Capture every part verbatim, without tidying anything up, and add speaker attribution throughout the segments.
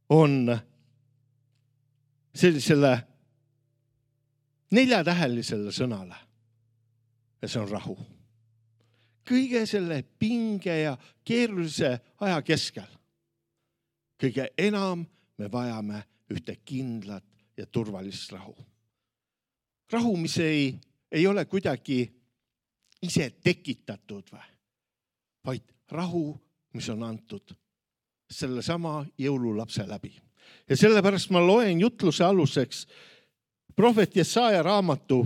Speaker 1: on sellisele neljatähelisele sõnale. Ja see on rahu. Kõige selle pinge ja keerulise aja keskel. Kõige enam me vajame ühte kindlat ja turvalist rahu. Rahu, mis ei, ei ole kuidagi ise tekitatud, või? Vaid rahu, mis on antud selle sama jõululapse läbi. Ja sellepärast ma loen jutluse aluseks prohvet Jesaja raamatu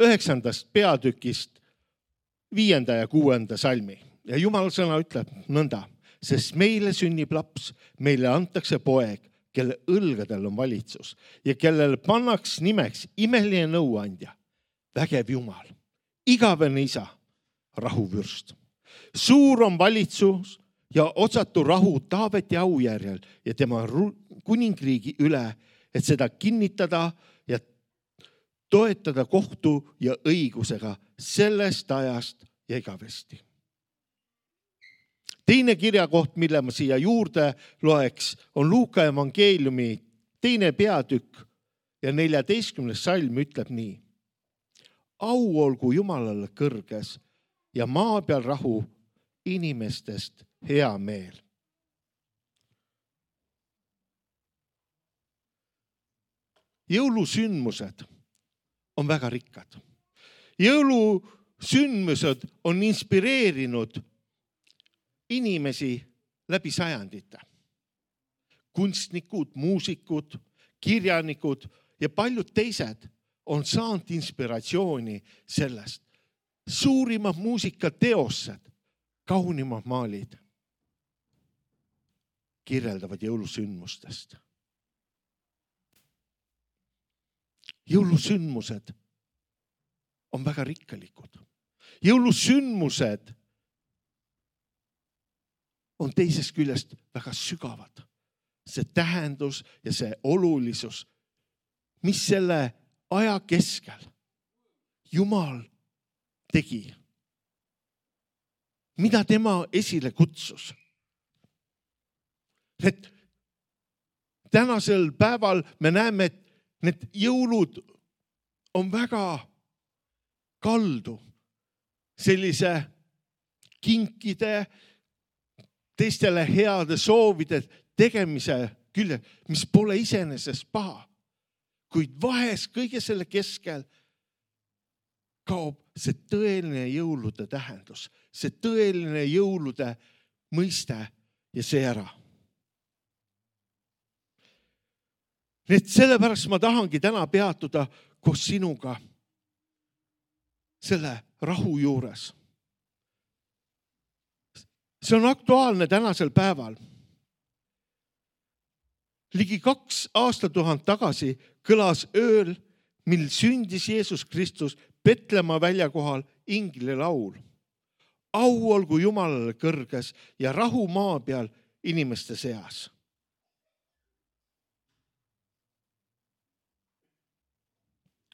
Speaker 1: üheksandast peatükist viienda ja kuuenda salmi. Ja Jumala sõna ütleb nõnda, sest meile sünnib laps, meile antakse poeg, kelle õlgadel on valitsus ja kellele pannaks nimeks imeline nõuandja, vägev Jumal, igavene isa, rahuvürst. Suur on valitsus ja otsatu rahu Taaveti aujärjel ja tema kuningriigi üle, et seda kinnitada ja toetada kohtu ja õigusega sellest ajast ja igavesti. Teine kirjakoht, mille ma siia juurde loeks, on Luuka evangeeliumi teine peatükk ja neljateistkümnes salm ütleb nii. Au olgu Jumalale kõrges ja maa peal rahu, inimestest hea meel. Jõulusündmused on väga rikkad. Jõulusündmused on inspireerinud inimesi läbi sajandite. Kunstnikud, muusikud, kirjanikud ja paljud teised on saanud inspiratsiooni sellest. Suurimad muusikateosed, kaunimad maalid kirjeldavad jõulusündmustest. Jõulusündmused on väga rikkalikud. Jõulusündmused on teisest küljest väga sügavad. See tähendus ja see olulisus, mis selle aja keskel Jumal tegi. Mida tema esile kutsus. Et tänasel päeval me näeme, et need jõulud on väga kaldu sellise kinkide, teistele heade soovide tegemise külje, mis pole iseenesest paha. Kuid vahest kõige selle keskel kaob see tõeline jõulude tähendus, see tõeline jõulude mõiste ja see ära. Need sellepärast ma tahangi täna peatuda koos sinuga selle rahu juures. See on aktuaalne tänasel päeval. Ligi kaks aastatuhat tagasi kõlas ööl, mil sündis Jeesus Kristus Petlemma väljakohal ingli laul. Au olgu Jumalale kõrges ja rahu maa peal inimeste seas.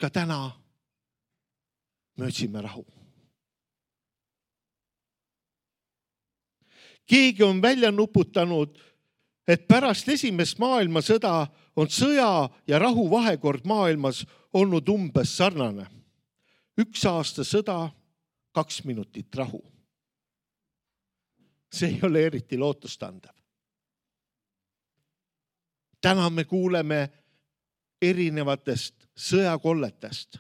Speaker 1: Ka täna me otsime rahu. Keegi on välja nuputanud, et pärast esimest maailmasõda on sõja ja rahu vahekord maailmas olnud umbes sarnane. Üks aasta sõda, kaks minutit rahu. See ei ole eriti lootustandev. Täna me kuuleme erinevatest sõjakolletest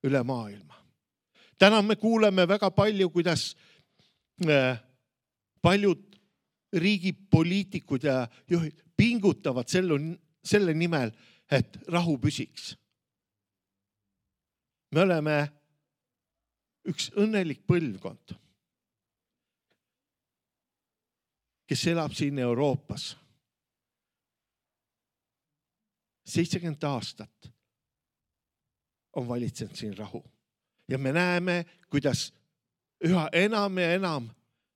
Speaker 1: üle maailma. Täna me kuuleme väga palju, kuidas paljud riigipoliitikud ja juhid pingutavad selle nimel, et rahu püsiks. Me oleme üks õnnelik põlvkond, kes elab siin Euroopas. seitsekümmend aastat on valitsenud siin rahu. Ja me näeme, kuidas üha enam ja enam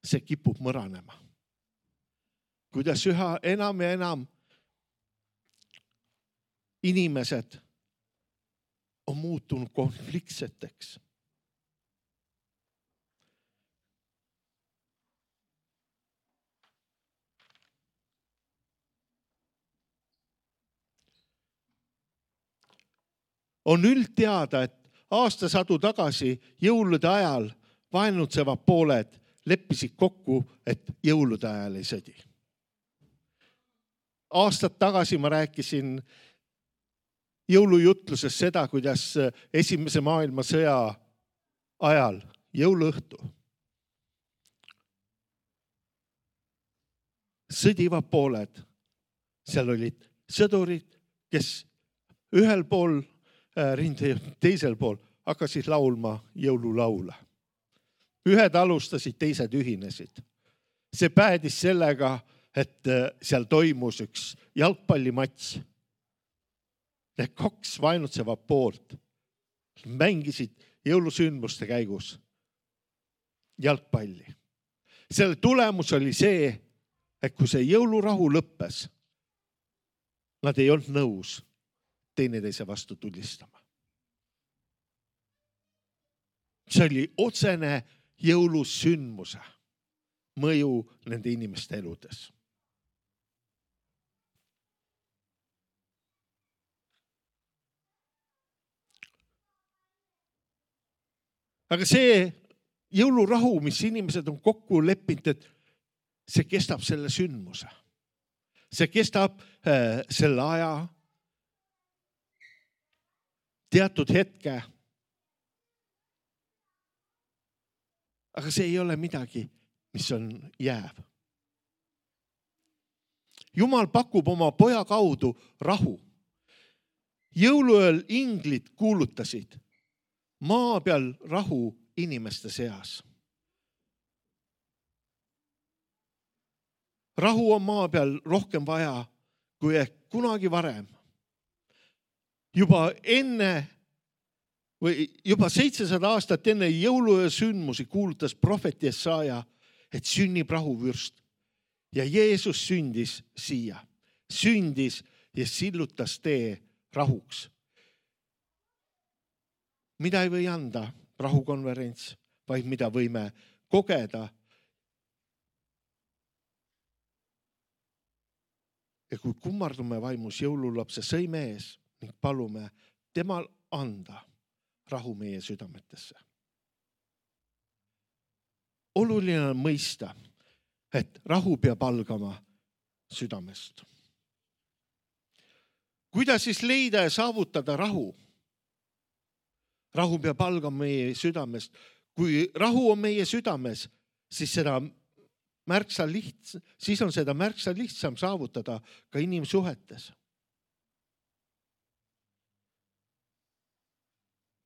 Speaker 1: see kipub mõranema. Kuidas üha enam ja enam inimesed on muutunud konfliktseteks. on üldteada, et aastasadu tagasi jõulude ajal vaenutsevad pooled leppisid kokku, et jõulude ajal ei sõdi. Aastad tagasi ma rääkisin jõulujutluses seda, kuidas esimese maailmasõja ajal jõuluõhtu sõdivad pooled. Seal olid sõdurid, kes ühel pool rinde, teisel pool hakkasid laulma jõululaule. Ühed alustasid, teised ühinesid. See päädis sellega, et seal toimus üks jalgpallimats. Need kaks vaenutsevad poolt mängisid jõulusündmuste käigus jalgpalli. Selle tulemus oli see, et kui see jõulurahu lõppes, nad ei olnud nõus teineteise vastu tulistama. See oli otsene jõulusündmuse mõju nende inimeste eludes. Aga see jõulurahu, mis inimesed on kokku leppinud, et see kestab selle sündmuse. See kestab äh, selle aja, teatud hetke. Aga see ei ole midagi, mis on jääv. Jumal pakub oma poja kaudu rahu. Jõuluööl inglid kuulutasid maa peal rahu inimeste seas. Rahu on maa peal rohkem vaja kui ehk kunagi varem. Juba enne või juba seitsesada aastat enne jõuluöö sündmusi kuulutas prohvet Jesaja, et sünnib rahuvürst. Ja Jeesus sündis siia. Sündis ja sillutas tee rahuks. Mida ei või anda rahukonverents, vaid mida võime kogeda. Ja kui kummardume vaimus jõululapse sõime ees ning palume temal anda rahu meie südametesse. Oluline on mõista, et rahu peab algama südamest. Kuidas siis leida ja saavutada rahu? Rahu peab algama meie südamest. Kui rahu on meie südames, siis, seda märksa liht, siis on seda märksa lihtsam saavutada ka inimsuhetes.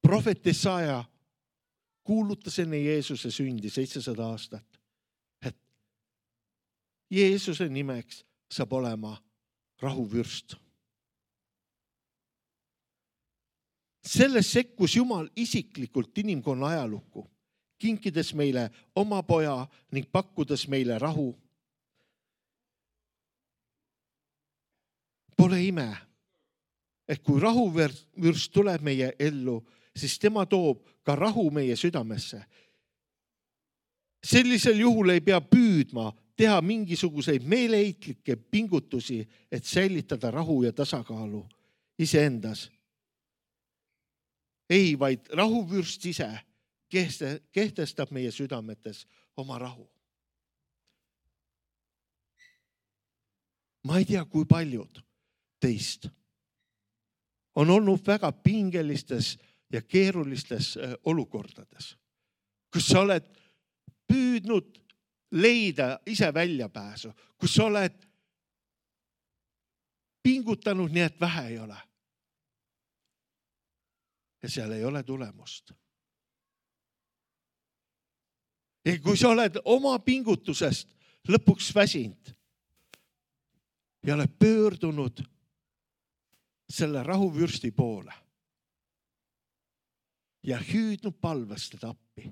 Speaker 1: Prohvet Jesaja kuulutas enne Jeesuse sündi seitsesada aastat, et Jeesuse nimeks saab olema rahuvürst. Selles sekkus Jumal isiklikult inimkonna ajalukku, kinkides meile oma poja ning pakkudes meile rahu. Pole ime, et kui rahuvürst tuleb meie ellu, siis tema toob ka rahu meie südamesse. Sellisel juhul ei pea püüdma teha mingisuguseid meeleheitlikke pingutusi, et säilitada rahu ja tasakaalu iseendas. Ei, vaid rahuvürst ise kehtestab meie südametes oma rahu. Ma ei tea, kui paljud teist on olnud väga pingelistes ja keerulistes olukordades, kus sa oled püüdnud leida ise väljapääsu, kus sa oled pingutanud nii, et vähe ei ole. Ja seal ei ole tulemust. Ja kui sa oled oma pingutusest lõpuks väsinud ja oled pöördunud selle rahuvürsti poole ja hüüdnud palvest teda appi,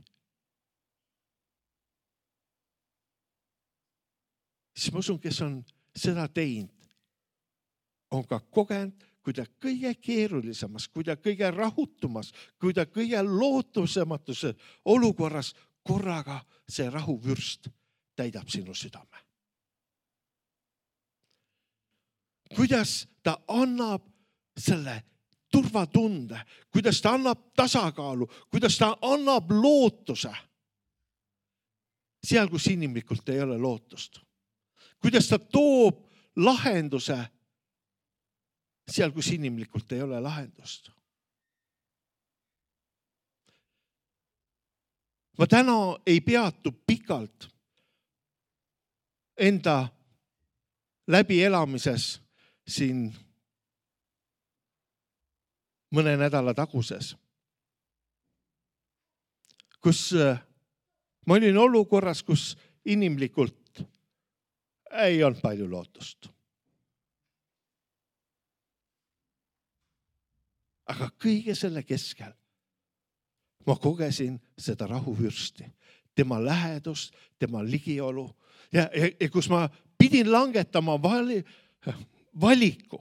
Speaker 1: siis ma usun, kes on seda teinud, on ka kogenud, kui ta kõige keerulisemas, kui ta kõige rahutumas, kui ta kõige lootusematuse olukorras korraga see rahuvürst täidab sinu südame. Kuidas ta annab selle turvatunde, kuidas ta annab tasakaalu, kuidas ta annab lootuse seal, kus inimlikult ei ole lootust. Kuidas ta toob lahenduse seal, kus inimlikult ei ole lahendust. Ma täna ei peatu pikalt enda läbielamises siin mõne nädala taguses, kus ma olin olukorras, kus inimlikult ei olnud palju lootust. Aga kõige selle keskel ma kogesin seda rahuvürsti, tema lähedust, tema ligiolu ja, ja, ja kus ma pidin langetama vali, valiku,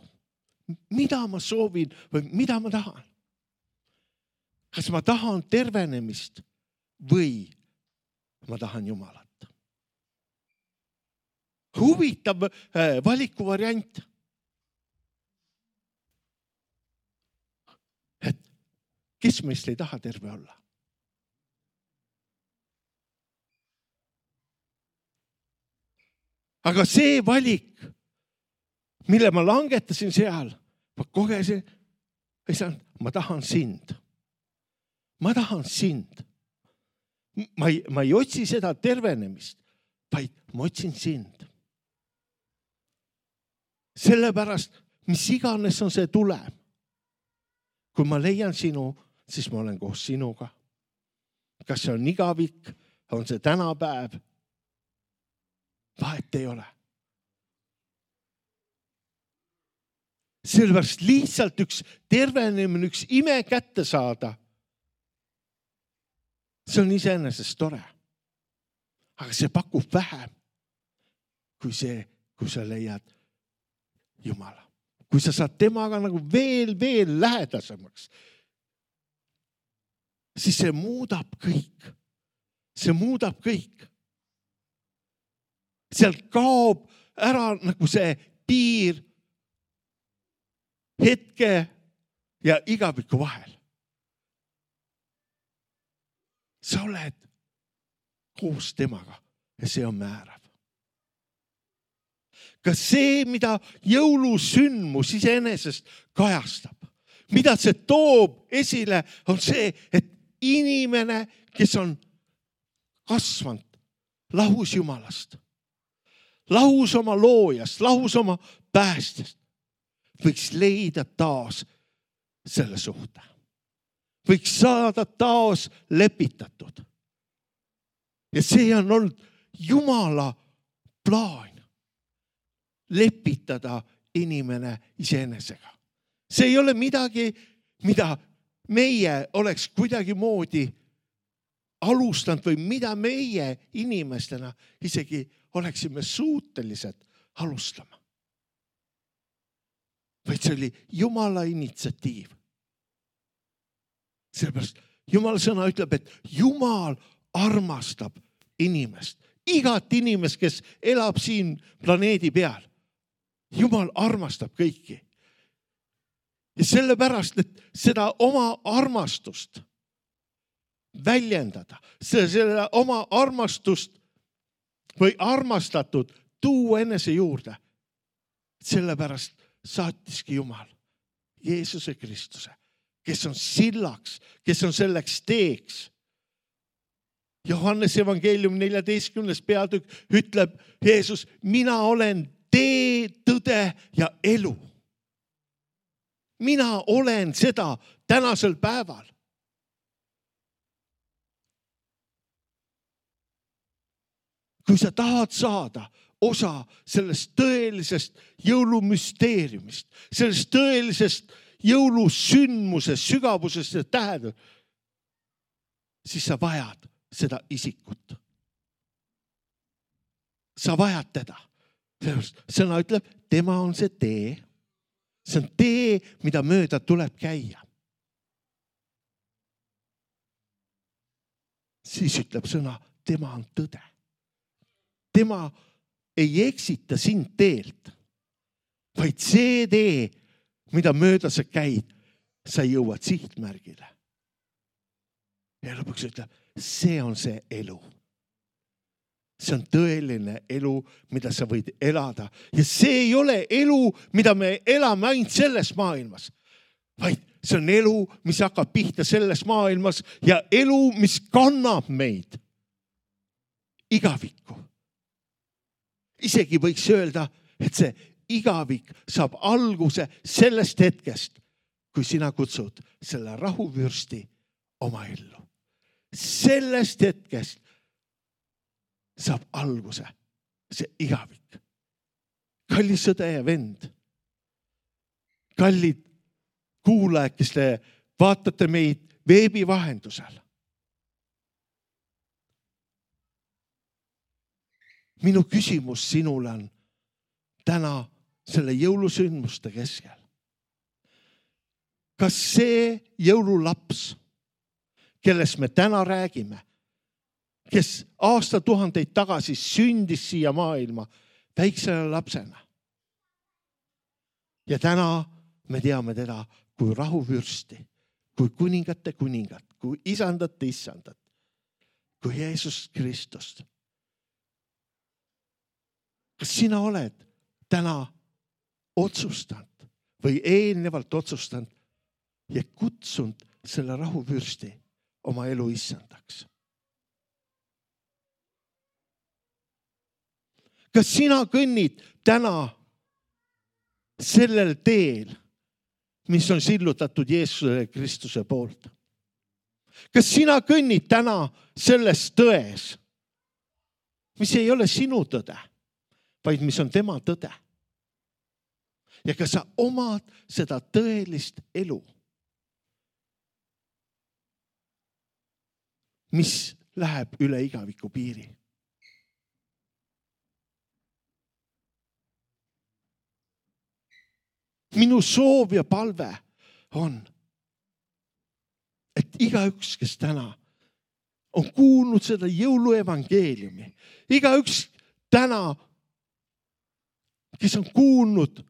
Speaker 1: mida ma soovin või mida ma tahan. Kas ma tahan tervenemist või ma tahan Jumalat. Huvitav valikuvariant. Et kes meist ei taha terve olla? Aga see valik, mille ma langetasin seal, ma kogesin, ma tahan sind. Ma tahan sind. Ma ei, ma ei otsi seda tervenemist, vaid ma otsin sind. Sellepärast, mis iganes on see tulem. Kui ma leian sinu, siis ma olen koos sinuga. Kas see on igavik, on see tänapäev? Vahet ei ole. Sellepärast lihtsalt üks tervenemine, üks ime kätte saada, see on iseenesest tore. Aga see pakub vähem, kui see, kui sa leiad Jumala. Kui sa saad temaga nagu veel, veel lähedasemaks, siis see muudab kõik. See muudab kõik. Sealt kaob ära nagu see piir hetke ja igaviku vahel. Sa oled koos temaga ja see on määrav. Kas see, mida jõulusündmus iseenesest kajastab, mida see toob esile, on see, et inimene, kes on kasvanud lahus Jumalast, lahus oma loojast, lahus oma päästjast, võiks leida taas selle suhte. Võiks saada taas lepitatud. Ja see on olnud Jumala plaan. Lepitada inimene iseenesega. See ei ole midagi, mida meie oleks kuidagi moodi alustanud või mida meie inimestena isegi oleksime suutelised alustama. Vaid see oli Jumala initsiatiiv. Sellepärast Jumala sõna ütleb, et Jumal armastab inimest. Igat inimest, kes elab siin planeedi peal. Jumal armastab kõiki. Ja sellepärast, et seda oma armastust väljendada, selle oma armastust või armastatud tuua enese juurde. Sellepärast saatiski Jumal Jeesuse Kristuse, kes on sillaks, kes on selleks teeks. Johannes evangeelium neljateistkümnes peatükk ütleb Jeesus, mina olen tee, tõde ja elu. Mina olen seda tänasel päeval. Kui sa tahad saada osa sellest tõelisest jõulumüsteeriumist, sellest tõelisest jõulusündmusest, sügavusest ja tähendust, siis sa vajad seda isikut. Sa vajad teda. Sõna ütleb, tema on see tee. See on tee, mida mööda tuleb käia. Siis ütleb sõna, tema on tõde. Tema ei eksita sind teelt, vaid see tee, mida mööda sa käid, sa jõuad sihtmärgile. Ja lõpuks ütleb, see on see elu. See on tõeline elu, mida sa võid elada. Ja see ei ole elu, mida me elame ainult selles maailmas, vaid see on elu, mis hakkab pihta selles maailmas ja elu, mis kannab meid igavikku. Isegi võiks öelda, et see igavik saab alguse sellest hetkest, kui sina kutsud selle rahuvürsti oma ellu. Sellest hetkest saab alguse see igavik. Kallis sõde ja vend, kallid kuulajad, kes te vaatate meid veebi vahendusel. Minu küsimus sinule on täna selle jõulusündmuste keskel. Kas see jõululaps, kellest me täna räägime, kes aastatuhandeid tagasi sündis siia maailma väiksele lapsena. Ja täna me teame teda kui rahuvürsti, kui kuningate kuningat, kui isandate isandat, kui Jeesus Kristust. Kas sina oled täna otsustanud või eelnevalt otsustanud ja kutsunud selle rahuvürsti oma elu isandaks? Kas sina kõnnid täna sellel teel, mis on sillutatud Jeesuse Kristuse poolt? Kas sina kõnnid täna selles tões, mis ei ole sinu tõde, vaid mis on tema tõde? Ja kas sa omad seda tõelist elu, mis läheb üle igaviku piiri? Minu soov ja palve on, et igaüks, kes täna on kuulnud seda jõuluevangeeliumi, igaüks täna, kes on kuulnud,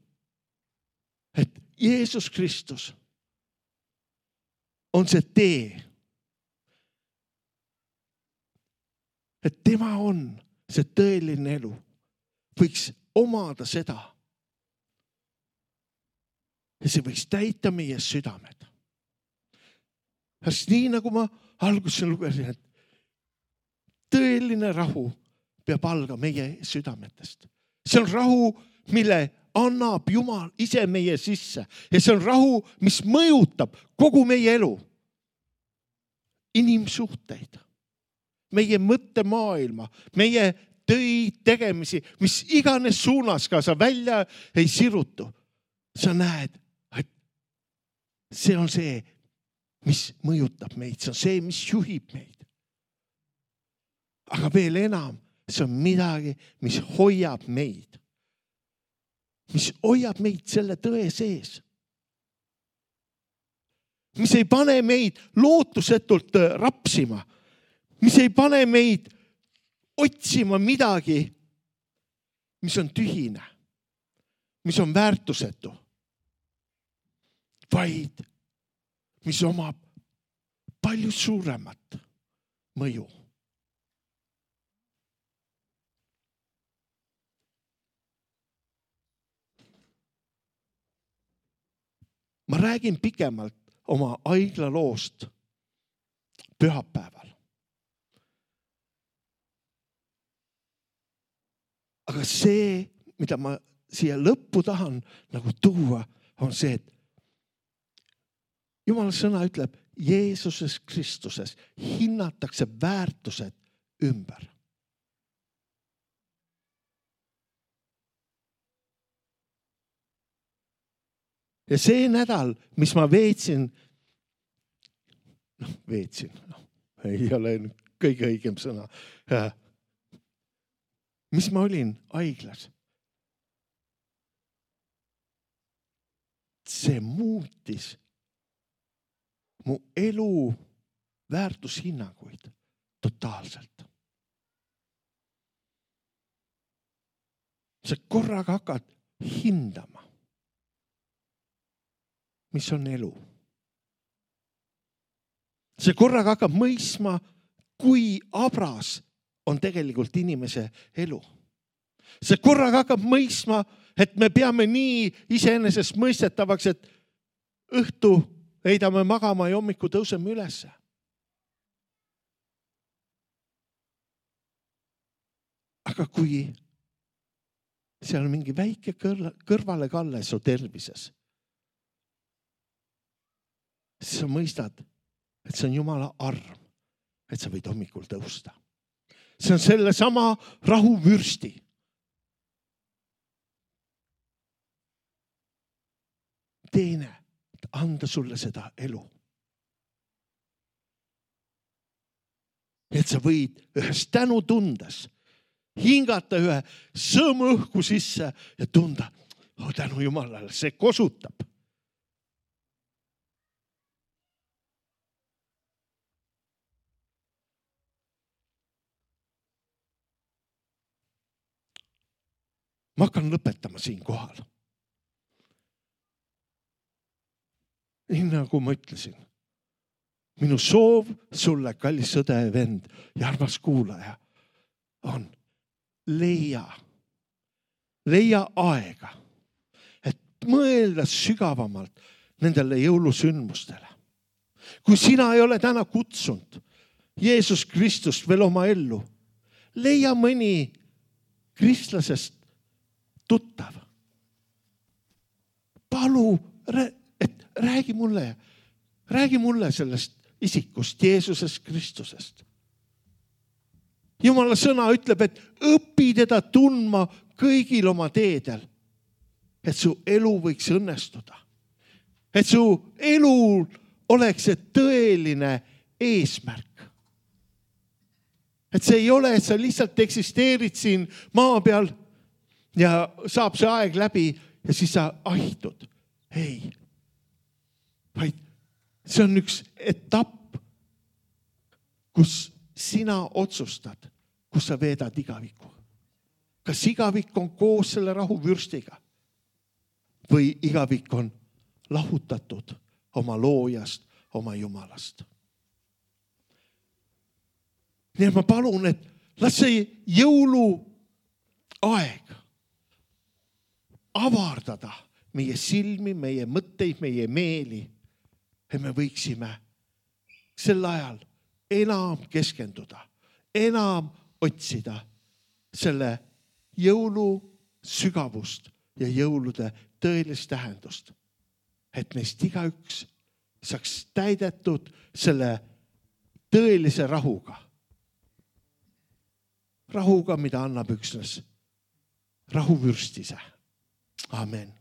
Speaker 1: et Jeesus Kristus on see tee, et tema on see tõeline elu, võiks omada seda. Ja see võiks täita meie südamed. Sest nii nagu ma alguses lugesin, et tõeline rahu peab alga meie südametest. See on rahu, mille annab Jumal ise meie sisse. Ja see on rahu, mis mõjutab kogu meie elu. Inimsuhteid, meie mõttemaailma, meie töid tegemisi, mis iganes suunas ka sa välja ei sirutu. Sa näed, see on see, mis mõjutab meid. See on see, mis juhib meid. Aga veel enam, see on midagi, mis hoiab meid. Mis hoiab meid selle tõe sees. Mis ei pane meid lootusetult rapsima. Mis ei pane meid otsima midagi, mis on tühine. Mis on väärtusetu. Vaid mis omab palju suuremat mõju. Ma räägin pikemalt oma haiglaloost pühapäeval. Aga see, mida ma siia lõppu tahan nagu tuua, on see, et Jumala sõna ütleb, Jeesuses Kristuses hinnatakse väärtused ümber. Ja see nädal, mis ma veetsin, noh, veetsin, no, ei ole kõige õigem sõna, mis ma olin haiglas. See muutis mu elu väärtushinnanguid totaalselt. Sa korraga hakkad hindama, mis on elu, see korraga hakkab mõistma, kui abras on tegelikult inimese elu. See korraga hakkab mõistma, et me peame nii iseenesest mõistetavaks, et õhtu heidame magama ja hommiku tõuseme ülesse. Aga kui seal on mingi väike kõrvalekalle su tervises, siis sa mõistad, et see on Jumala arm, et sa võid hommikul tõusta. See on selle sama rahuvürsti. Teene, anda sulle seda elu. Et sa võid ühes tänu tundes hingata ühe sõõmu õhku sisse ja tunda, oh, tänu Jumalale, see kosutab. Ma hakkan lõpetama siin kohal. Nii nagu ma ütlesin, minu soov sulle, kallis sõde ja vend ja armas kuulaja, on leia, leia aega, et mõelda sügavamalt nendele jõulusündmustele. Kui sina ei ole täna kutsunud Jeesus Kristust veel oma ellu, leia mõni kristlasest tuttav. Palu, et räägi mulle, räägi mulle sellest isikust, Jeesusest Kristusest. Jumala sõna ütleb, et õpi teda tundma kõigil oma teedel, et su elu võiks õnnestuda. Et su elul oleks see tõeline eesmärk. Et see ei ole, et sa lihtsalt eksisteerid siin maa peal ja saab see aeg läbi ja siis sa ahtud. Ei, vaid see on üks etapp, kus sina otsustad, kus sa veedad igaviku. Kas igavik on koos selle rahuvürstiga või igavik on lahutatud oma loojast, oma Jumalast. Nii et ma palun, et las see jõulu aeg avardada meie silmi, meie mõtteid, meie meeli, et me võiksime sel ajal enam keskenduda, enam otsida selle jõulu sügavust ja jõulude tõelist tähendust, et meist igaüks saaks täidetud selle tõelise rahuga. Rahuga, mida annab üksnes rahuvürst ise. Amen.